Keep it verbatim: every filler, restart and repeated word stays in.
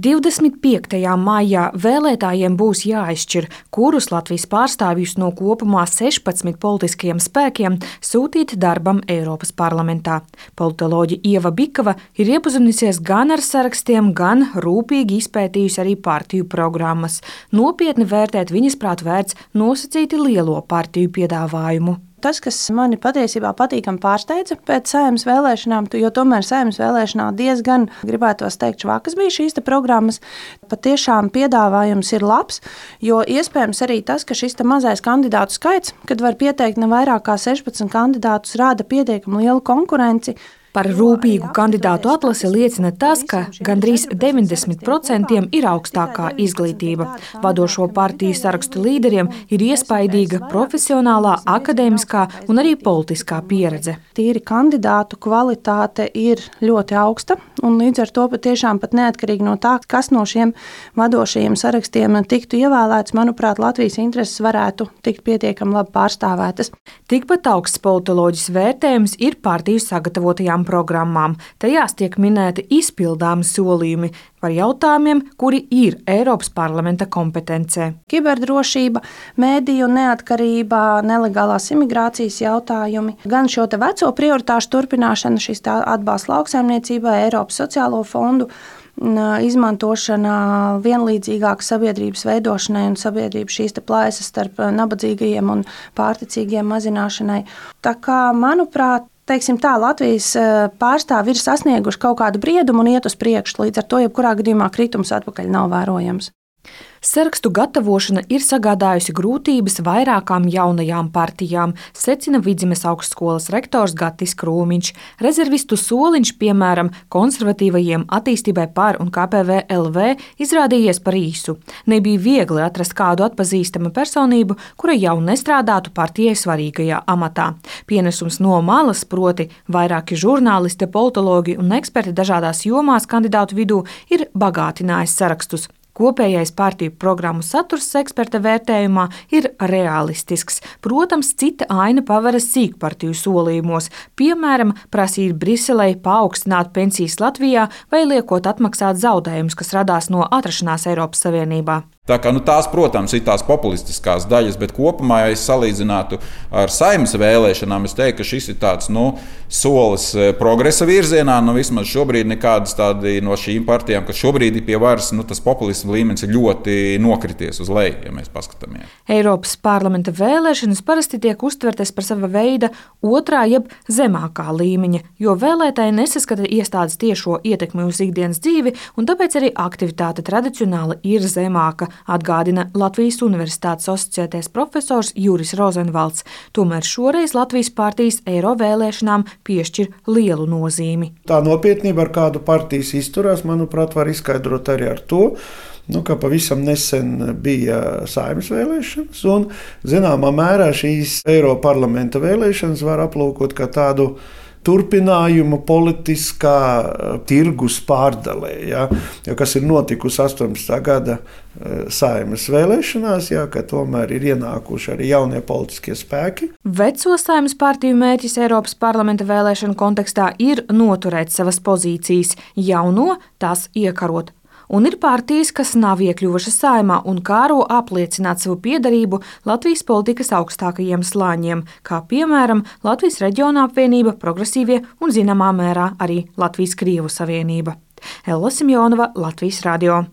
divdesmit piektajā maijā vēlētājiem būs jāizšķir, kurus Latvijas pārstāvjus no kopumā sešpadsmit politiskajiem spēkiem sūtīt darbam Eiropas parlamentā. Politoloģe Ieva Bikava ir iepazinusies gan ar sarakstiem, gan rūpīgi izpētījusi arī partiju programmas. Nopietni vērtēt viņas prāt vērts nosacīti lielo partiju piedāvājumu. Tas, kas mani patiesībā patīkami pārsteidza pēc Saeimas vēlēšanām, jo tomēr Saeimas vēlēšanā diezgan, gribētos teikt, švakas bija šīs te programmas, patiešām piedāvājums ir labs, jo iespējams arī tas, ka šis te mazais kandidātu skaits, kad var pieteikt ne vairāk kā sešpadsmit kandidātus, rāda pietiekami lielu konkurenci. Par rūpīgu kandidātu atlasi liecina tas, ka gandrīz deviņdesmit procenti ir augstākā izglītība. Vadošo partiju sarakstu līderiem ir iespaidīga profesionālā, akadēmiskā un arī politiskā pieredze. Tīri kandidātu kvalitāte ir ļoti augsta, un līdz ar to patiešām pat neatkarīgi no tā, kas no šiem vadošajiem sarakstiem tiktu ievēlēts, manuprāt, Latvijas intereses varētu tikt pietiekami labi pārstāvētas. Tikpat augsts politoloģis vērtējums ir partiju sagatavotajām programmām. Tajās tiek minēti izpildāmi solījumi par jautājumiem, kuri ir Eiropas parlamenta kompetencē. Kiberdrošība, mēdīju neatkarība, nelegālās imigrācijas jautājumi, gan šo te veco prioritāšu turpināšana, šis atbalsts lauksaimniecībai, Eiropas sociālo fondu izmantošana vienlīdzīgākas sabiedrības veidošanai un sabiedrības šīs te plaisas starp nabadzīgajiem un pārticīgiem mazināšanai. Tā kā, manuprāt, teiksim tā, Latvijas pārstāvi ir sasnieguši kaut kādu briedumu un iet uz priekšu, līdz ar to jebkurā gadījumā kritums atpakaļ nav vērojams. Sarakstu gatavošana ir sagādājusi grūtības vairākām jaunajām partijām, secina Vidzemes augstskolas rektors Gatis Krūmiņš. Rezervistu soliņš, piemēram, konservatīvajiem Attīstībai par un K P V L V izrādījies par īsu. Nebija viegli atrast kādu atpazīstamu personību, kura jau nestrādātu partijai svarīgajā amatā. Pienesums no malas, proti vairāki žurnālisti, politologi un eksperti dažādās jomās kandidātu vidū, ir bagātinājis sarakstus. Kopējais partiju programmu saturs eksperta vērtējumā ir realistisks. Protams, cita aina paveras sīkpartiju solījumos, piemēram, prasīt Briselei paaugstināt pensijas Latvijā vai liekot atmaksāt zaudējumus, kas radās no atrašanās Eiropas Savienībā. Tā kā, nu, tās, protams, ir tās populistiskās daļas, bet kopumā, ja es salīdzinātu ar Saeimas vēlēšanām, es teiktu, ka šis ir tāds, nu, solis progresa virzienā. Nu, vismaz šobrīd nekādas tādi no šīm partijām, kas šobrīd ir pie varas, nu, tas populisma līmenis ir ļoti nokrities uz leju, ja mēs paskatāmies. Eiropas parlamenta vēlēšanas parasti tiek uztvertas par sava veida otrā jeb zemākā līmeņa, jo vēlētāji nesaskata iestādes tiešo ietekmi uz ikdienas dzīvi, un tāpēc arī aktivitāte tradicionāli ir zemāka, atgādina Latvijas Universitātes asociētais profesors Juris Rozenvalds. Tomēr šoreiz Latvijas partijas eiro vēlēšanām piešķir lielu nozīmi. Tā nopietnība, ar kādu partijas izturās, manuprāt, var izskaidrot arī ar to, nu, ka pavisam nesen bija Saeimas vēlēšanas, un zināmā mērā šīs Eiroparlamenta vēlēšanas var aplūkot kā tādu turpinājumu politiskā tirgus pārdalē, ja, ja, kas ir notikusi astoņdesmitā gada Saeimas vēlēšanās, ja, ka tomēr ir ienākuši arī jaunie politiskie spēki. Veco Saeimas partiju mērķis Eiropas parlamenta vēlēšanu kontekstā ir noturēt savas pozīcijas, jauno tās iekarot. Un ir partijas, kas nav iekļuvušas Saeimā un kāro apliecināt savu piederību Latvijas politikas augstākajiem slāņiem, kā piemēram Latvijas Reģiona apvienība, Progresīvie un zināmā mērā arī Latvijas Krievu savienība. Ella Simjonova, Latvijas radio.